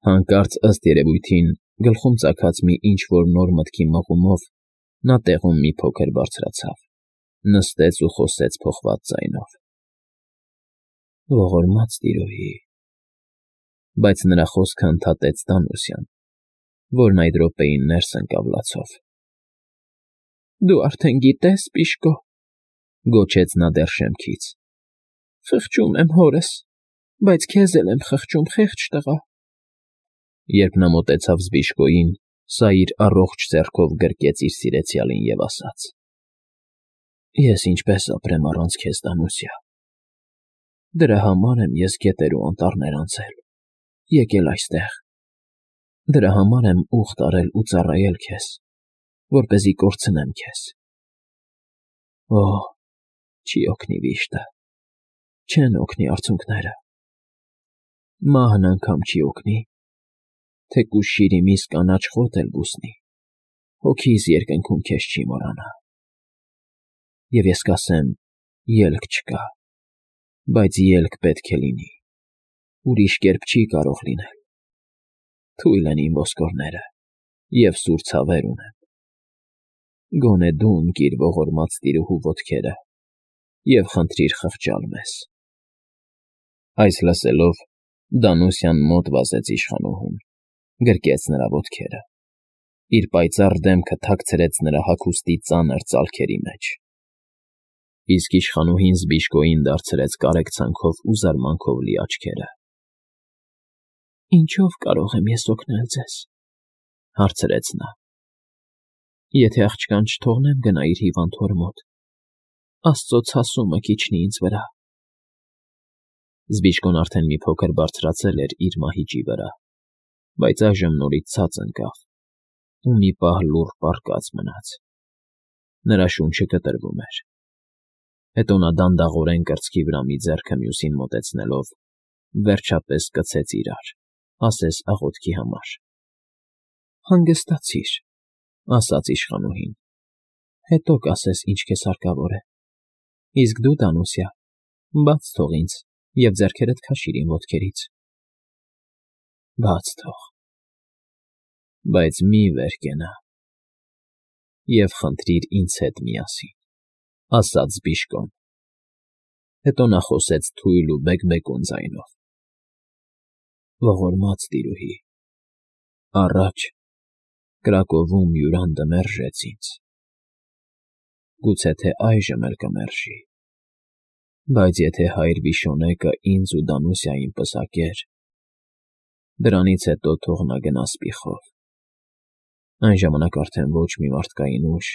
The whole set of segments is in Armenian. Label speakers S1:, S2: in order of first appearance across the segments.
S1: Հանկարծ, ըստ երևույթին, գլխում ծագած մի ինչ֊որ նոր մտքի մղումով նա տեղում մի փոքր բարձրացավ, նստեց ու խոսեց փոխված ձայնով. «Ողորմած տիրուհի…» Բայց նրա խոսքը ընդհատեց Դանուսյան, որն այդ րոպեին ներս ընկավ լացով։ «Դու արդեն գիտես, Պիշկո,֊ գոչեց նա դեռ շեմքից,֊ խղճում եմ հորս, բայց քեզ էլ եմ խղճում, խեղճ տղա»։ Երբ նա մոտեցավ Զբիշկոյին, սա իր առողջ ձեռքով գրկեց իր սիրեցյալին և ասաց. «Ես ինչպե՞ս ապրեմ առանց քեզ, Դանուսիա… Դրա համար եմ ես գետեր ու անտառներ անցել, եկել այստեղ, դրա համար եմ ուղտ արել ու ծառայել քեզ, որպեսզի կորցնեմ քեզ… Օհ, չի օգնի վիշտը, չեն օգնի արցունքները, մահն անգամ չի օգնի, թեկուզ շիրիմիս կանաչ խոտ էլ բուսնի, հոգիս երկնքում քեզ չի մոռանա… Եվ ես կասեմ. ելք չկա, բայց ելք պետք է լինի, ուրիշ կերպ չի կարող լինել… Թույլ են իմ ոսկորները, և սուր ցավեր ունեմ… Գոնե դու ընկիր ողորմած տիրուհու ոտքերը և խնդրիր խղճալ մեզ»։ Այս լսելով, Դանուսյան մոտ վազեց իշխանուհուն, գրկեց նրա ոտքերը, իր պայծառ դեմքը թաքցրեց նրա հագուստի ծանր ծալքերի մեջ… Իսկ իշխանուհին Զբիշկոյին դարձրեց կարեկցանքով ու զարմանքով լի աչքերը։ «Ինչո՞վ կարող եմ ես օգնել ձեզ,֊ հարցրեց նա։֊ Եթե աղջկան չթողնեմ գնա իր հիվանդ հոր մոտ, աստծո ցասումը կիջնի ինձ վրա»։ Զբիշկոն արդեն մի փոքր բարձրացել էր իր մահիճի վրա, բայց այժմ նորից ցած ընկավ ու մի պահ լուռ պառկած մնաց. նրա շունչը կտրվում էր… Հետո նա դանդաղորեն կրծքի վրա մի ձեռքը մյուսին մոտեցնելով, վերջապես կցեց իրար, ասես աղոթքի համար. «Հանգստացիր,֊ ասաց իշխանուհին,֊ հետո կասես, ինչ քեզ հարկավոր է… Իսկ դու, Դանուսիա, բաց թող ինձ և ձեռքերդ քաշիր իմ ոտքերից»։ «Բաց թող, բայց մի՛ վեր կենա… Եվ խնդրիր ինձ հետ միասին,֊ ասաց Զբիշկոն։ Հետո նա խոսեց թույլ ու բեկբեկուն ձայնով. «Ողորմած տիրուհի, առաջ կրակովում յուրանդը մերժեց ինձ, գուցե թե այժմ էլ կմերժի, բայց եթե հայր Վիշոնեկը ինձ ու Դանուսիային պսակեր, դրանից հետո թող նա գնա սպիխով, այն ժամանակ արդեն ոչ մի մարդկային ուժ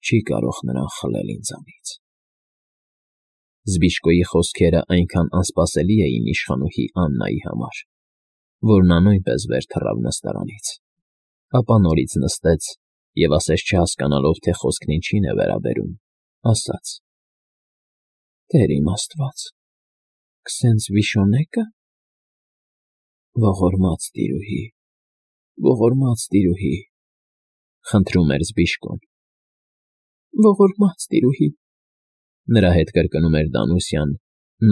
S1: չի կարող նրան խլել ինձանից»։ Զբիշկոյի խոսքերը այնքան անսպասելի էին իշխանուհի Աննայի համար, որ նա նույնպես վեր թռավ նստարանից, ապա նորից նստեց և, ասես չհասկանալով, թե խոսքն ինչին է վերաբերում, ասաց. «Տեր իմ Աստված, քսենց Վիշոնե՞կը… Ողորմած տիրուհի, ողորմած տիրուհի…֊ խնդրում էր Զբիշկոն։ «Ողորմած տիրուհի…֊ նրա հետ կրկնում էր Դանուսյան,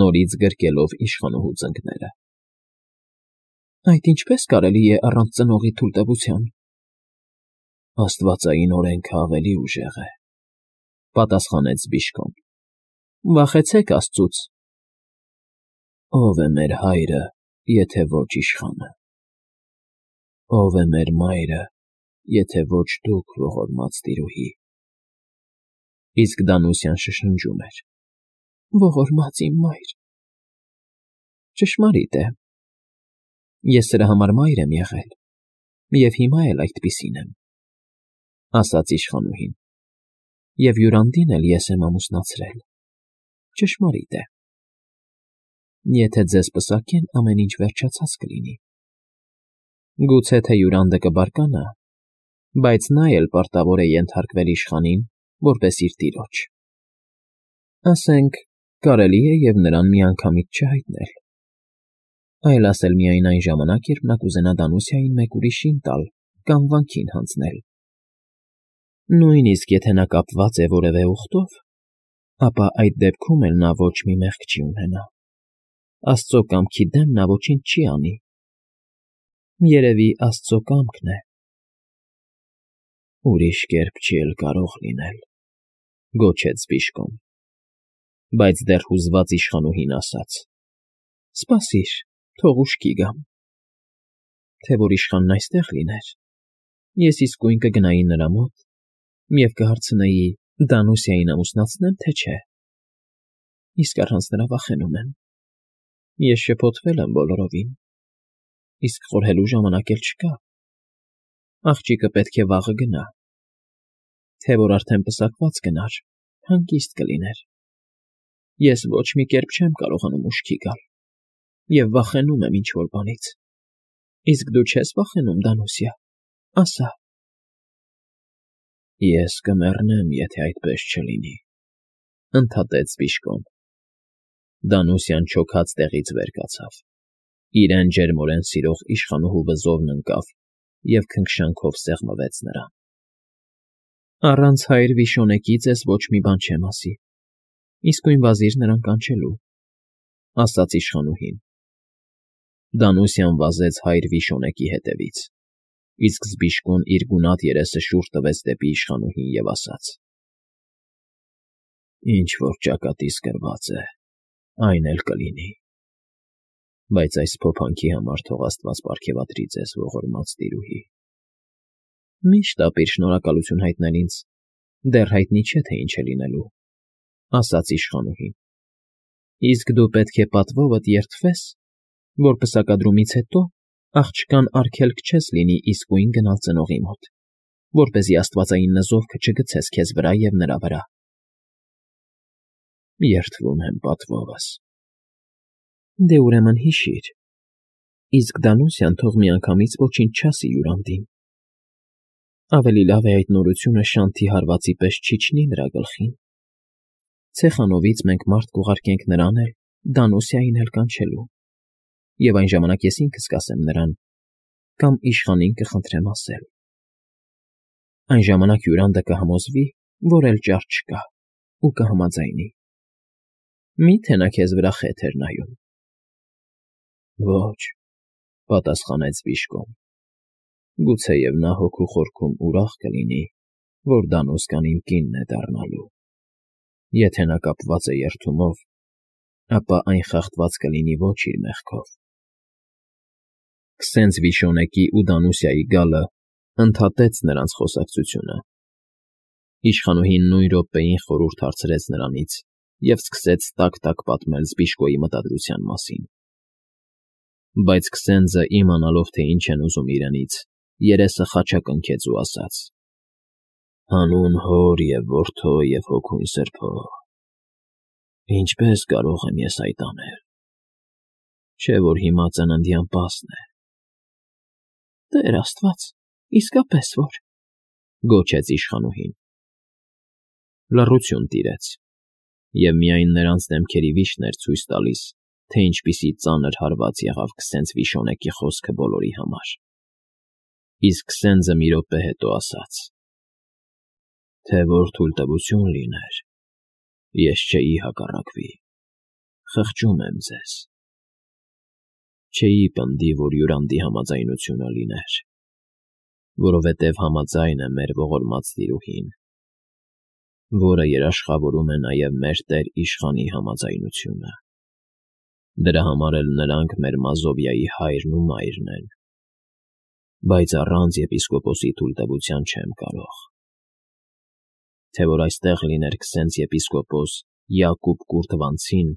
S1: նորից գրկելով իշխանուհու ծնկները։ «Այդ ինչպե՞ս կարելի է առանց ծնողի թույլտվության»։ «Աստվածային օրենքն ավելի ուժեղ է,֊ պատասխանեց Զբիշկոն։ Վախեցեք աստծուց»։ «Ո՞վ է մեր հայրը, եթե ոչ իշխանը, ո՞վ է մեր մայրը, եթե ոչ դուք, ողորմած տիրուհի»։ Իսկ Դանուսյան շշնջում էր. «Ողորմած իմ մայր…» «Ճշմարիտ է, ես սրա համար մայր եմ եղել և հիմա էլ այդպիսին եմ,֊ ասաց իշխանուհին,֊ և յուրանդին էլ ես եմ ամուսնացրել, ճշմարիտ է… Եթե ձեզ պսակեն, ամեն ինչ վերջացած կլինի… Գուցե թե յուրանդը կբարկանա, բայց նա էլ պարտավոր է ենթարկվել իշխանին, որպես իր տիրոջ… Ասենք, կարելի է և նրան միանգամից չհայտնել, այլ ասել միայն այն ժամանակ, երբ նա կուզենա Դանուսիային մեկ ուրիշին տալ կամ վանքին հանձնել… Նույնիսկ եթե նա կապված է որևէ ուխտով, ապա այդ դեպքում էլ նա ոչ մի մեղք չի ունենա… Աստծո կամքի դեմ նա ոչինչ չի անի… Երևի աստծո կամքն է։ Ուրիշ կերպ չի էլ կարող լինել, գոչեց Բիժկոն, բայց դեռ հուզված իշխանուհին ասաց. Սպասիր, թող ուշքի գամ։ Թե որ իշխանն այստեղ լիներ, ես իսկույն կգնայի նրա մոտ և կհարցնեի Դանուսիային ամուսնացնե՞մ, թե չէ։ Իսկ առանց նրա վախենում եմ։ Ես շփոթվել եմ բոլորովին, իսկ խորհելու ժամանակ էլ չկա։ Աղջիկը պետք է վաղը գնա։ Թե որ արդեն պսակված գնար, հանգիստ կլիներ։ Ես ոչ մի կերպ չեմ կարողանում ուշքի գալ և վախենում եմ ինչ֊որ բանից։ Իսկ դու չես վախենում, Դանուսիա, ասա։ Ես կմեռնեմ, եթե այդպես չլինի, ընդհատեց Բիժկոն։ Դանուսիան չոքած տեղից վեր կացավ, իրեն ջերմորեն սիրող իշխանուհու վզովն ընկավ և քնքշանքով սեղմվեց նրան։ Առանց հայր Վիշոնեկի ձեզ ոչ մի բան չեմ ասի, իսկույն վազիր նրան կանչելու, ասաց իշխանուհին։ Դանուսիան վազեց հայր Վիշոնեկի հետևից, իսկ Բիժկոն իր գունատ երեսը շուռ տվեց դեպի իշխանուհին և ասաց. Ինչ որ ճակատիս գրված է, այն էլ կլինի, բայց այս փոփանքի համար թող աստված պարգևատրի ձեզ ողորմած տիրուհի։ Միշտ ապիր շնորհակալություն հայտնել ինձ, դեռ հայտնի չէ, թե ինչ է լինելու, ասաց իշխանուհին։ Իսկ դու պետք է պատվովդ երդվես, որ պսակադրումից հետո աղջկան արգելք չես լինի իսկույն գնալ ծնողի մոտ, որպեսզի աստվածային նզովքը չգցես քեզ վրա և նրա վրա։ Երդվում եմ պատվովս։ Դե ուրեմն հիշիր, իսկ Դանուսիան թող միանգամից ոչինչ չասի Յուրանդին։ Ավելի լավ է այդ նորությունը Շանթի հարվածի պես չիջնի նրա գլխին։ Ցեխանովից մենք մարդ կուղարկենք նրան էլ, Դանուսիային էլ կանչելու, և այն ժամանակ ես ինքս կասեմ նրան, կամ իշխանին կխնդրեմ ասել։ Այն ժամանակ Յուրանդը կհամոզվի, որ էլ ճար չկա, ու կհամաձայնի։ Մի՞թե նա քեզ վրա խեթ էր նայում։ Ոչ, պատասխանեց Բիժկոն, գուցեև նա հոգու խորքում ուրախ կլինի, որ Դանուսկան իմ կինն է դառնալու։ Եթե նա կապված է երդումով, ապա այն խախտված կլինի ոչ իր մեղքով։ Քսենց Վիշոնեկի ու Դանուսիայի գալը ընդհատեց նրանց խոսակցությունը։ Իշխանուհին նույն րոպեին խորհուրդ հարցրեց նրանից և սկսեց տակ֊տակ պատմել Բիժկոյի մտադրության մասին։ Բայց Քսենձը, իմանալով, թե ինչ են ուզում իրենից, երեսը խաչակնքեց ու ասաց. Հանուն Հոր և Որդու և Հոգուն Սրբո, ինչպե՞ս կարող եմ ես այդ անել, չէ՞ որ հիմա ծննդյան պասն է։ Տեր Աստված, իսկապես որ, գոչեց իշխանուհին։ Լռություն տիրեց, և միայն նրանց դեմքերի վիշտն էր ցույց տալիս, թե ինչպիսի ծանր հարված եղավ Քսենց Վիշոնեկի խոսքը բոլորի համար։ Իսկ Քսենձը մի րոպե հետո ասաց. Թե որ թույլտվություն լիներ, ես չէի հակառակվի, խղճում եմ ձեզ։ Չէի պնդի, որ Յուրանդի համաձայնությունը լիներ, որովհետև համաձայն է մեր ողորմած տիրուհին, որը երաշխավորում է նաև մեր տեր իշխանի համաձայնությունը։ Դրա համար էլ նրանք մեր Մազովիայի հայրն ու մայրն են, բայց առանց եպիսկոպոսի թույլտվության չեմ կարող։ Թե որ այստեղ լիներ Քսենց եպիսկոպոս Յակուբ Կուրթվանցին,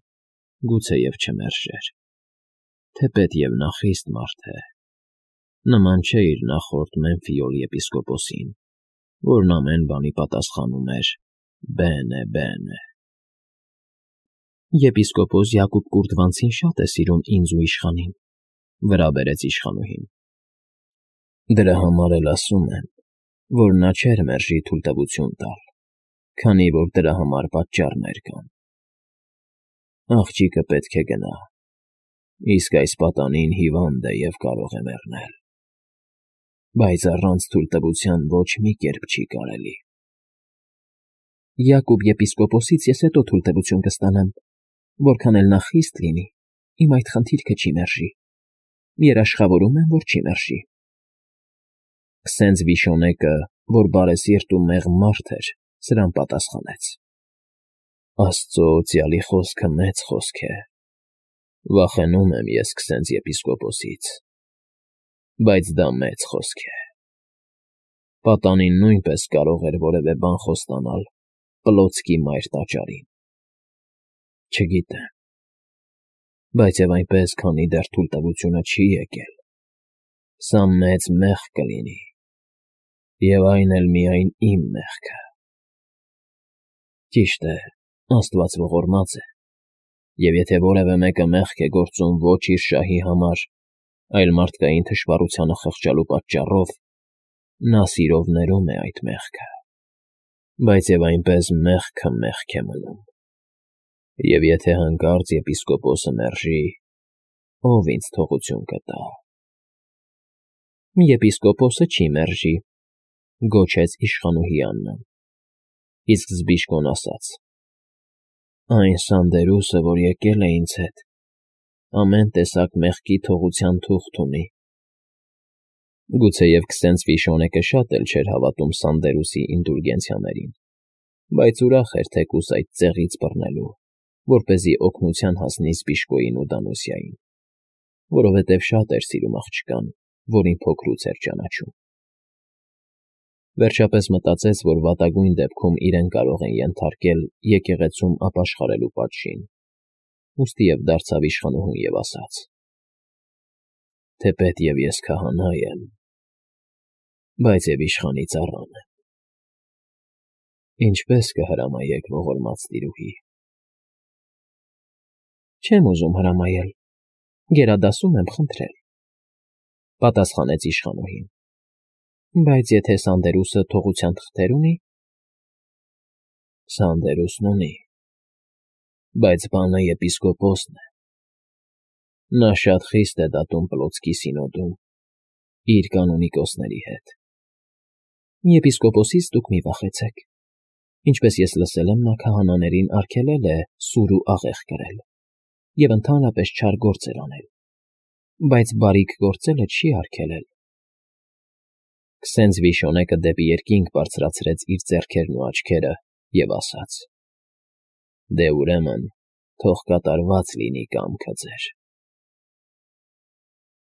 S1: գուցեև չմերժեր, թեպետև նա խիստ մարդ է, նման չէ իր նախորդ Մեմֆիոլ եպիսկոպոսին, որն ամեն բանի պատասխանում էր բենե, բենե։ Եպիսկոպոս Յակուբ Կուրթվանցին շատ է սիրում ինձ ու իշխանին, վրա բերեց իշխանուհին։ Դրա համար էլ ասում եմ, որ նա չէր մերժի թույլտվություն տալ, քանի որ դրա համար պատճառներ կան։ Աղջիկը պետք է գնա, իսկ այս պատանին հիվանդ է և կարող է մեռնել։ Բայց առանց թույլտվության ոչ մի կերպ չի կարելի։ Յակուբ եպիսկոպոսից ես հետո թույլտվություն կստանամ, որքան էլ նա խիստ լինի, իմ այդ խնդիրքը չի մերժի, երաշխավորում եմ, որ չի մերժի։ Քսենց Վիշոնեկը, որ բարեսիրտ ու մեղմ մարդ էր, սրան պատասխանեց. Աստծո օծյալի խոսքը մեծ խոսք է։ Վախենում եմ ես քսենց եպիսկոպոսից, բայց դա մեծ խոսք է։ Պատանին նույնպես կարող էր որևէ բան խոստանալ Պլոտսկի մայր տաճարին։ Չգիտեմ, բայց և այնպես, քանի դեռ թույլտվությունը չի եկել, սա մեծ մեղք կլինի, և այն էլ միայն իմ մեղքը։ Ճիշտ է, Աստված ողորմած է, և եթե որևէ մեկը մեղք է գործում ոչ իր շահի համար, այլ մարդկային թշվառությանը խղճալու պատճառով, նա սիրով ներում է այդ մեղքը, բայց և այնպես մեղքը մեղք է մնում։ Եվ եթե հանկարծ եպիսկոպոսը մերժի, ո՞վ ինձ թողություն կտա։ Եպիսկոպոսը չի մերժի, գոչեց իշխանուհի Աննան, իսկ Զբիշկոն ասաց. Այն սանդերուսը, որ եկել է ինձ հետ, ամեն տեսակ մեղքի թողության թուղթ ունի։ Գուցեև քսենց Վիշոնեկը շատ էլ չէր հավատում Սանդերուսի ինդուլգենցիաներին, բայց ուրախ էր թեկուզ այդ ծեղից բռնելու, որպեսզի օգնության հասնի Զբիշկոյին ու Դանուսիային, որովհետև շատ էր սիրում աղջկան, որին փոքրուց էր ճանաչում։ Վերջապես մտածեց, որ վատագույն դեպքում իրեն կարող են ենթարկել եկեղեցում ապաշխարելու պատժին, ուստիև դարձավ իշխանուհուն և ասաց. Թեպետ և ես քահանա եմ, բայց և իշխանի ծառան եմ։ Ինչպե՞ս կհրամայեք, ողորմած տիրուհի։ Չեմ ուզում հրամայել, գերադասում եմ խնդրել, պատասխանեց իշխանուհին, բայց եթե Սանդերուսը թողության թղթեր ունի։ Սանդերուսն ունի, բայց բանը եպիսկոպոսն է։ Նա շատ խիստ է դատում Պլոտսկի սինոդում իր կանոնիկոսների հետ։ Եպիսկոպոսից դուք մի վախեցեք։ Ինչպես ես լսել եմ, նա քահանաներին արգելել է սուր ու աղեղ կրել և ընդհանրապես չար գործեր անել, բայց բարիք գործելը չի արգելել։ Քսենց Վիշոնեկը դեպի երկինք բարձրացրեց իր ձեռքերն ու աչքերը և ասաց. Դե ուրեմն, թող կատարված լինի կամքը ձեր։